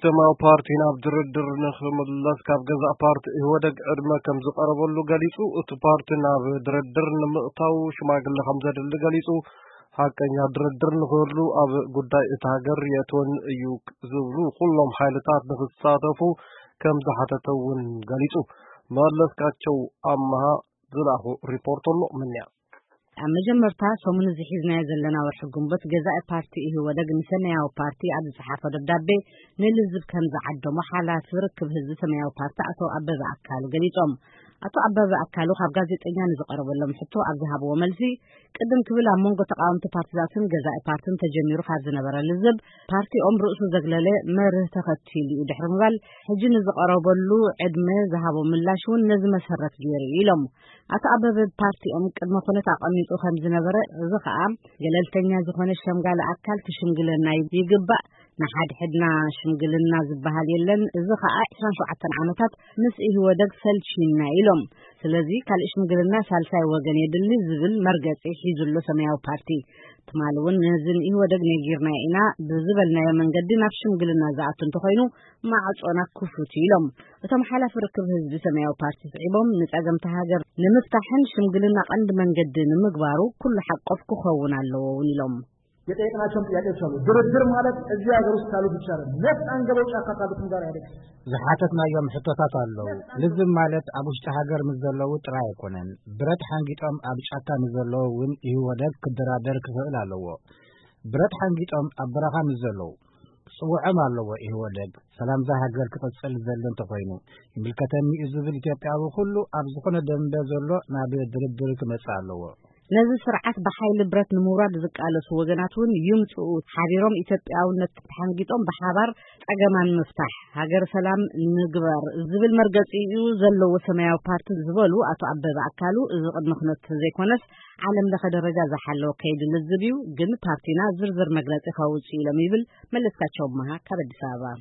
ሰማያዊ ፓርቲ ናብ ድርድር ንኽምለስ ካብ ገዛእ ፓርቲ ኢህወደግ ዕድመ ከም ዝቐረበሉ ገሊጹ። እቲ ፓርቲ ናብ ድርድር ንምእታው ሽማግለ ከም ዘድሊ ገሊጹ። ሓቀኛ ድርድር ንኽህሉ ኣብ ጉዳይ እታ ሃገር የእትወን እዩ ዝብሉ ኩሎም ሓይልታት ንኽሳተፉ ከም ዝሓተተ እውን ገሊጹ። መለስካቸው ኣምሃ ዝለኣኹ ሪፖርት ኣሎ። ምንያ ኣብ መጀመርታ ሰሙን እዚ ሒዝናዮ ዘለና ወርሒ ግንቦት፣ ገዛኢ ፓርቲ ኢህወደግ ንሰማያዊ ፓርቲ ኣብ ዝጸሓፎ ደብዳቤ፣ ንልዝብ ከም ዝዓደሞ ሓላፊ ርክብ ህዝቢ ሰማያዊ ፓርቲ ኣቶ ኣበበ ኣካሉ ገሊጾም። ኣቶ ኣበበ ኣካሉ ካብ ጋዜጠኛ ንዝቐረበሎም ሕቶ ኣብ ዝሃብዎ መልሲ፣ ቅድም ክብል ኣብ መንጎ ተቓወምቲ ፓርቲታትን ገዛኢ ፓርትን ተጀሚሩ ካብ ዝነበረ ልዝብ፣ ፓርቲኦም ርእሱ ዘግለለ መርህ ተኸቲሉ እዩ ድሕሪ ምባል፣ ሕጂ ንዝቐረበሉ ዕድመ ዝሃቦ ምላሽ እውን ነዚ መሰረት ገይሩ እዩ ኢሎም። ኣቶ ኣበበ ፓርቲኦም ቅድመ ኩነት ኣቐሚጡ ከም ዝነበረ፣ እዚ ኸኣ ገለልተኛ ዝኾነ ሸምጋሊ ኣካል ክሽምግለና ይግባእ፣ ንሓድሕድና ሽምግልና ዝበሃል የለን፣ እዚ ኸኣ ዕስራን ሸውዓተን ዓመታት ምስ ኢህወደግ ሰልቺና ኢሎም። ስለዚ ካልእ ሽምግልና ሳልሳይ ወገን የድሊ ዝብል መርገጺ ሒዙ ኣሎ ሰማያዊ ፓርቲ። ትማሊ እውን ነዚ ንኢህወደግ ነጊርና ኢና ብዝበልናዮ መንገዲ ናብ ሽምግልና ዝኣቱ እንተኾይኑ ማዕጾና ክፉት እዩ ኢሎም። እቶም ሓላፊ ርክብ ህዝቢ ሰማያዊ ፓርቲ ስዒቦም፣ ንጸገምቲ ሃገር ንምፍታሕን ሽምግልና ቀንዲ መንገዲ ንምግባሩ ኩሉ ሓቆፍ ክኸውን ኣለዎ እውን ኢሎም። የጠየቅናቸውም ጥያቄዎች አሉ። ድርድር ማለት እዚህ ሀገር ውስጥ ካሉት ብቻ ነው። ነፍጥ አንገበው ጫካ ካሉትም ጋር አይደለም። ዝሓተትናዮም ሕቶታት ኣለዉ። ልዝብ ማለት ኣብ ውሽጢ ሃገር ምስ ዘለዉ ጥራይ ኣይኮነን። ብረት ሓንጊጦም ኣብ ጫካ ምስ ዘለዉ እውን ኢህወደግ ክደራደር ክኽእል ኣለዎ። ብረት ሓንጊጦም ኣብ በረኻ ምስ ዘለዉ ክጽውዖም ኣለዎ። ኢህወደግ ሰላምዛ ሃገር ክቕጽል ዝደሊ እንተኾይኑ፣ ይምልከተኒ እዩ ዝብል ኢትዮጵያዊ ኩሉ ኣብ ዝኾነ ደንበ ዘሎ ናብ ድርድር ክመጽእ ኣለዎ። ነዚ ስርዓት ብሓይሊ ብረት ንምውራድ ዝቃለሱ ወገናት እውን ይምፅኡ፣ ሓቢሮም ኢትዮጵያውነት ተሓንጊጦም ብሓባር ፀገማን ምፍታሕ፣ ሃገር ሰላም ንግበር ዝብል መርገፂ እዩ ዘለዎ ሰማያዊ ፓርቲ ዝበሉ ኣቶ ኣበበ ኣካሉ፣ እዚ ቅድመ ኩነት ዘይኮነስ ዓለም ለኸ ደረጃ ዝሓለወ ከይዲ ልዝብ እዩ፣ ግን ፓርቲና ዝርዝር መግለፂ ከውፅእ ኢሎም ይብል መለስካቸው ኣመሃ ካብ ኣዲስ ኣበባ።